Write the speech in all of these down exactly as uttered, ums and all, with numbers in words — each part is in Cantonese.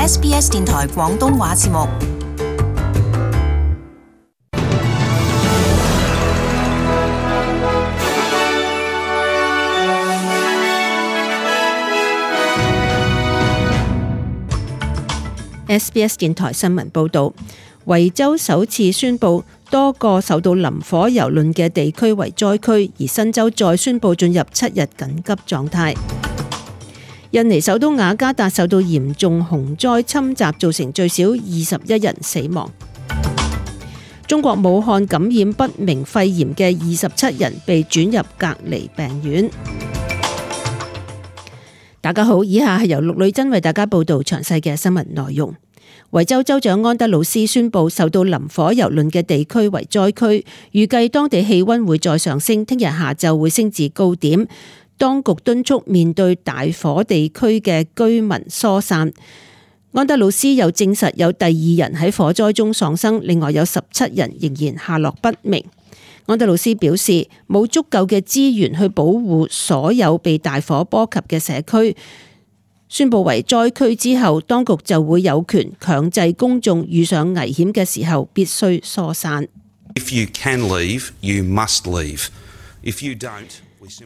S B S 電台廣東話節目。S B S 電台新聞報導，維州首次宣布多個受到林火蹂躪嘅地區為災區，而新州再宣布進入七日緊急狀態。印尼首都雅加達受到嚴重洪災侵襲，造成最少二十一人死亡。中國武漢感染不明肺炎嘅二十七人被轉入隔離病院。大家好，以下係由陸女真為大家報道詳細嘅新聞內容。維州州長安德魯斯宣布受到林火蹂躪嘅地區為災區，預計當地氣溫會再上升，聽日下晝會升至高點。當局敦促面對大火地區嘅居民疏散。安德魯斯又證實有第二人喺火災中喪生，另外有十七人仍然下落不明。安德魯斯表示冇足夠嘅資源去保護所有被大火波及嘅社區，宣布為災區之後，當局就會有權強制公眾遇上危險嘅時候必須疏散。If you can leave, you must leave. If you don't,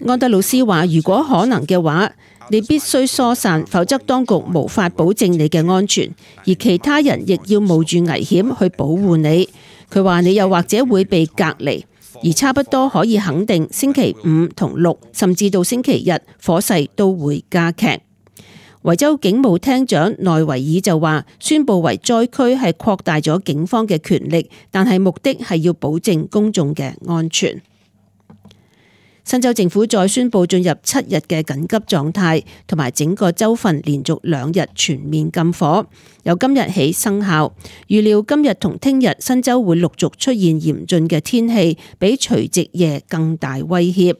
安德魯斯話：如果可能嘅話，你必須疏散，否則當局無法保證你嘅安全，而其他人亦要冒住危險去保護你。佢話你又或者會被隔離，而差不多可以肯定星期五同六，甚至到星期日，火勢都會加劇。維州警務廳長內維爾就話：宣布為災區係擴大咗警方嘅權力，但係目的係要保證公眾嘅安全。新州政府再宣布進入七日嘅緊急狀態，同埋整個州份連續兩日全面禁火，由今日起生效。預料今日同聽日新州會陸續出現嚴峻嘅天氣，比除夕夜更大威脅。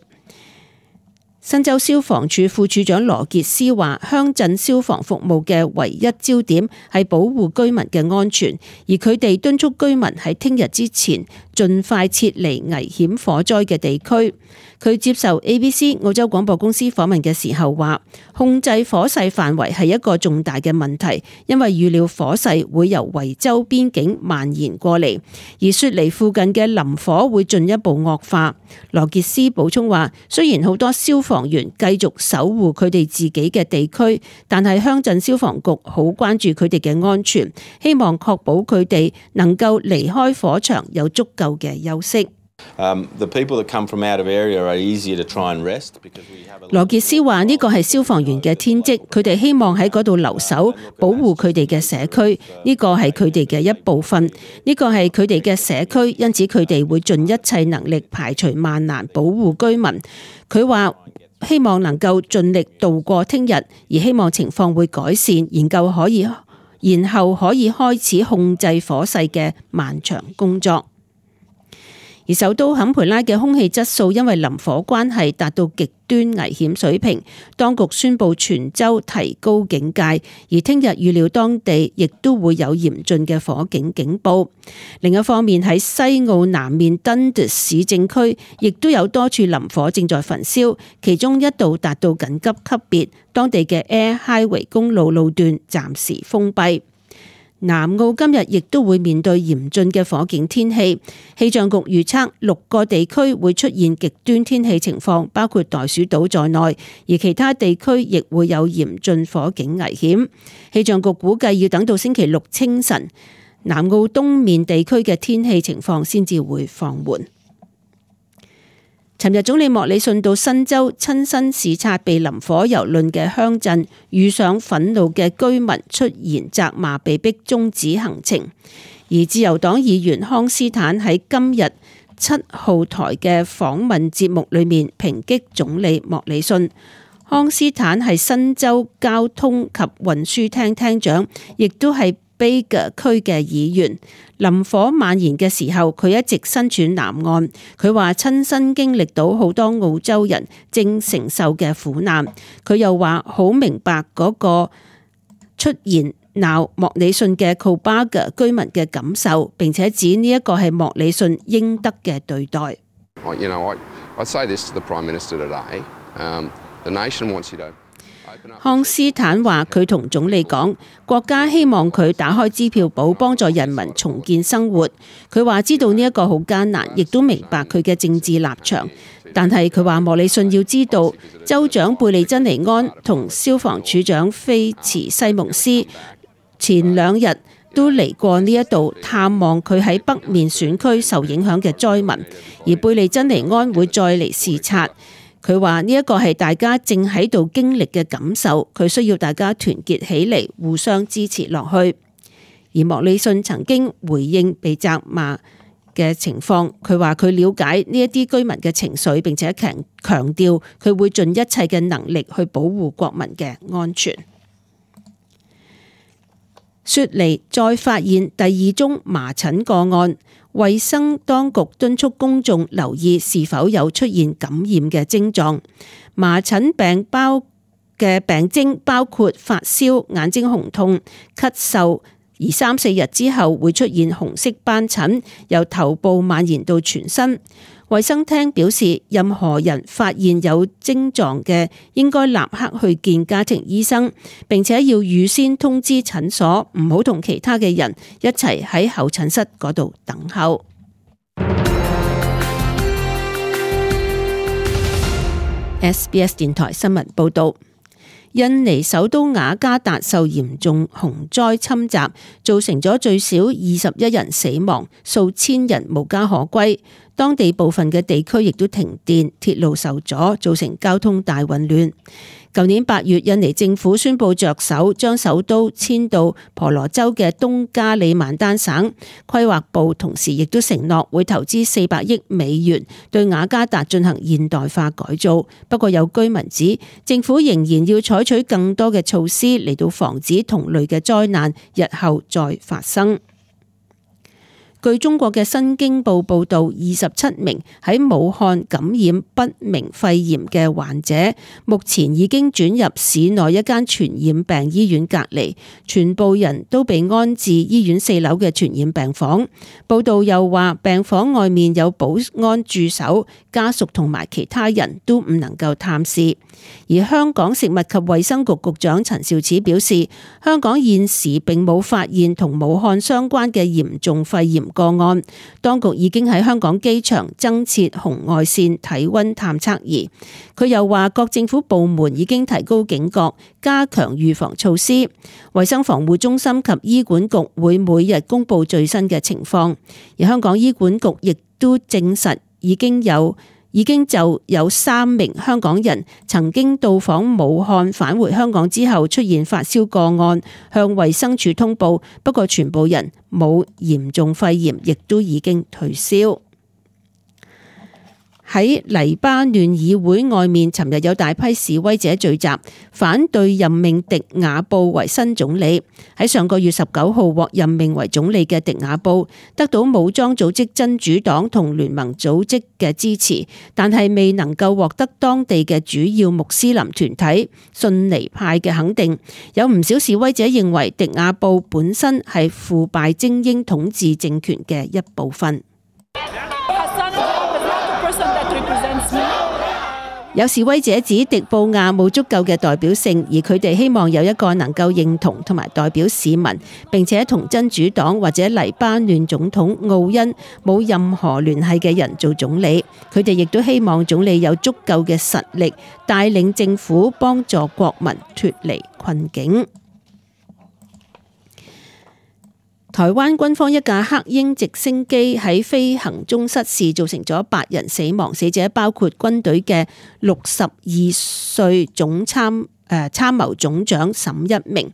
新州消防處副處長羅傑斯話：鄉鎮消防服務嘅唯一焦點係保護居民嘅安全，而佢哋敦促居民喺聽日之前盡快撤離危險火災嘅地區。佢接受 A B C 澳洲廣播公司訪問嘅時候話：控制火勢範圍係一個重大嘅問題，因為預料火勢會由維州邊境蔓延過嚟，而雪梨附近嘅林火會進一步惡化。羅傑斯補充話：雖然好多消防員繼續守護佢哋自己嘅地區，但係鄉鎮消防局好關注佢哋嘅安全，希望確保佢哋能夠離開火場有足夠嘅休息。羅傑斯話：呢個係消防員嘅天職，佢哋希望喺嗰度留守，保護佢哋嘅社區，呢個係佢哋嘅一部分，呢個係佢哋嘅社區，因此佢哋會盡一切能力排除萬難保護居民。佢話希望能夠盡力度過聽日，而希望情況會改善，研究可以，然後可以開始控制火勢嘅漫長工作。而首都坎培拉嘅空氣質素因為林火關係達到極端危險水平，當局宣布全州提高警戒，而聽日預料當地亦都會有嚴峻嘅火警警報。另一方面，喺西澳南面 Dundas 市政區亦都有多處林火正在焚燒，其中一度達到緊急級別，當地嘅 Air Highway 公路路段暫時封閉。南澳今日亦都會面對嚴峻嘅火警天氣，氣象局預測六個地區會出現極端天氣情況，包括袋鼠島在內，而其他地區亦會有嚴峻火警危險。氣象局估計要等到星期六清晨，南澳東面地區嘅天氣情況先至會放緩。尋日總理莫里遜到新州親身視察被林火蹂躪嘅鄉鎮，遇上憤怒嘅居民出言責罵，被逼終止行程。而自由黨議員康斯坦喺今日七號台嘅訪問節目裏面抨擊總理莫里遜。康斯坦係新州交通及運輸廳廳長，亦都係Bega 區嘅議員。林火蔓延嘅時候，佢一直身處南岸。佢話親身經歷到好多澳洲人正承受嘅苦難。佢又話好明白嗰個出現鬧莫里遜嘅 Cobarga 居民嘅感受，並且指呢一個係莫里遜應得嘅對待。You know, I, I say this to the Prime Minister today. Um, the nation wants you to 康斯坦話佢同總理講，國家希望佢打開支票簿，幫助人民重建生活。佢話知道呢一個好艱難，亦都明白佢嘅政治立場。但係佢話莫里遜要知道，州長貝利珍尼安同消防處長菲茨西蒙斯前兩日都嚟過呢一度探望佢喺北面選區受影響嘅災民，而貝利珍尼安會再嚟視察。佢話呢一個係大家正喺度經歷嘅感受，佢需要大家團結起嚟，互相支持落去。而莫里遜曾經回應被責罵嘅情況，佢話佢了解呢一啲居民嘅情緒，並且強強調佢會盡一切嘅能力去保護國民嘅安全。雪梨再發現第二宗麻疹個案，衛生當局敦促公眾留意是否有出現感染嘅症狀。麻疹病包嘅病徵包括發燒、眼睛紅痛、咳嗽，而三四日之後會出現紅色斑疹，由頭部蔓延到全身。衛生廳表示，任何人發現有症狀嘅，應該立刻去見家庭醫生，並且要預先通知診所，唔好同其他嘅人一齊喺候診室嗰度等候。S B S 電台新聞報道。印尼首都雅加達受嚴重洪災侵襲，造成咗最少二十一人死亡，數千人無家可歸。當地部分嘅地區亦都停電，鐵路受阻，造成交通大混亂。舊年八月，印尼政府宣布着手將首都遷到婆羅洲嘅東加里曼丹省，規劃部同時亦都承諾會投資四百億美元對雅加達進行現代化改造。不過有居民指，政府仍然要採取更多嘅措施嚟到防止同類嘅災難日後再發生。據中國嘅新京報報道，二十七名喺武漢感染不明肺炎嘅患者，目前已經轉入市內一間傳染病醫院隔離，全部人都被安置醫院四樓嘅傳染病房。報道又話，病房外面有保安駐守，家屬同埋其他人都唔能夠探視。而香港食物及衛生局局長陳肇始表示，香港現時並冇發現同武漢相關嘅嚴重肺炎個案，當局已經喺香港機場增設紅外線體溫探測儀。佢又話，各政府部門已經提高警覺，加強預防措施。衛生防護中心及醫管局會每日公布最新嘅情況，而香港醫管局亦都證實已經有已經就有三名香港人曾經到訪武漢返回香港之後出現發燒個案，向衛生署通報，不過全部人冇嚴重肺炎，亦都已經退燒。喺黎巴嫩議會外面，尋日有大批示威者聚集，反對任命迪亞布為新總理。喺上個月十九號獲任命為總理嘅迪亞布，得到武裝組織真主黨同聯盟組織嘅支持，但係未能夠獲得當地嘅主要穆斯林團體遜尼派嘅肯定。有唔少示威者認為迪亞布本身係腐敗精英統治政權嘅一部分。有示威者指迪布亞冇足夠嘅代表性，而佢哋希望有一個能夠認同同埋代表市民，並且同真主黨或者黎巴嫩總統奧恩冇任何聯繫嘅人做總理。佢哋亦都希望總理有足夠嘅實力，帶領政府幫助國民脫離困境。台灣軍方一架黑鷹直升機喺飛行中失事，造成咗八人死亡，死者包括軍隊嘅六十二歲總參誒參謀總長沈一鳴，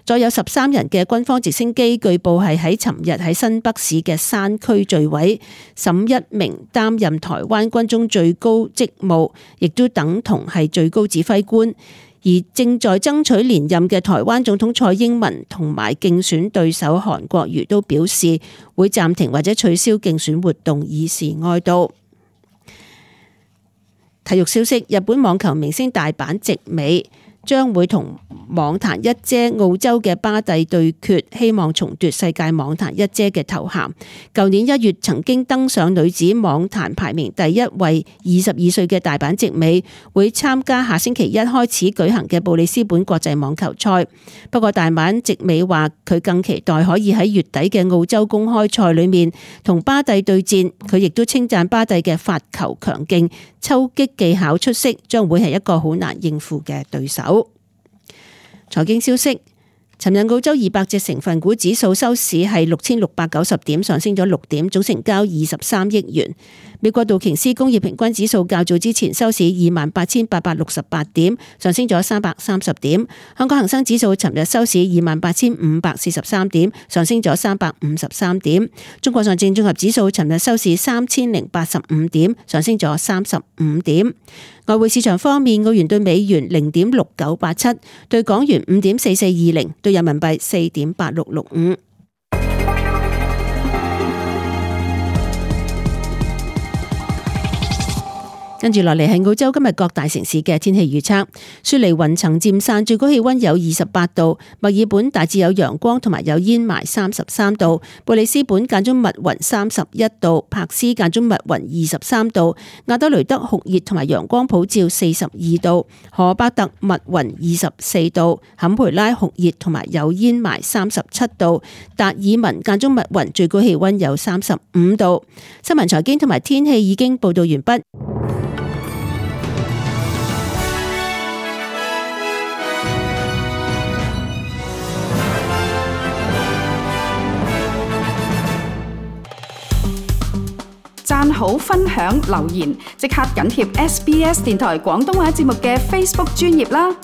再有十三人嘅軍方直升機據報係喺尋日喺新北市嘅山區墜毀。沈一鳴擔任台灣軍中最高職務，亦都等同係最高指揮官。而正在爭取連任嘅台灣總統蔡英文同埋競選對手韓國瑜都表示會暫停或者取消競選活動，以示哀悼。體育消息：日本網球明星大阪直美將會同網壇一姐澳洲嘅巴蒂對決，希望重奪世界網壇一姐嘅頭銜。舊年一月曾經登上女子網壇排名第一位二十二歲嘅大阪直美，會參加下星期一開始舉行嘅布里斯本國際網球賽。不過大阪直美話佢更期待可以喺月底嘅澳洲公開賽裏面同巴蒂對戰。佢亦都稱讚巴蒂嘅發球強勁、抽擊技巧出色，將會係一個好難應付嘅對手。財經消息，尋日澳洲二百隻成分股指數收市係六千六百九十點，上升咗六點，總成交二十三億元。美國道瓊斯工業平均指數較早之前收市二萬八千八百六十八點，上升咗三百三十點。香港恒生指數尋日收市二萬八千五百四十三點，上升咗三百五十三點。中國上證綜合指數尋日收市三千零八十五點，上升咗三十五點。外匯市場方面，澳元對美元零點六九八七，對港元五點四四二零，對人民幣四點八六六五。跟住落嚟係澳洲今日各大城市嘅天氣預測。雪梨雲層漸散，最高氣溫有二十八度；墨爾本大致有陽光同埋有煙霾，三十三度；布里斯本間中密雲，三十一度；柏斯間中密雲，二十三度；亞德雷德酷熱同埋陽光普照，四十二度；荷巴特密雲，二十四度；坎培拉酷熱同埋有煙霾，三十七度；達爾文間中密雲，最高氣溫有三十五度。新聞財經同埋天氣已經報道完畢。讚好、分享、留言，即刻緊貼 S B S 電台廣東話節目嘅 Facebook 專頁啦！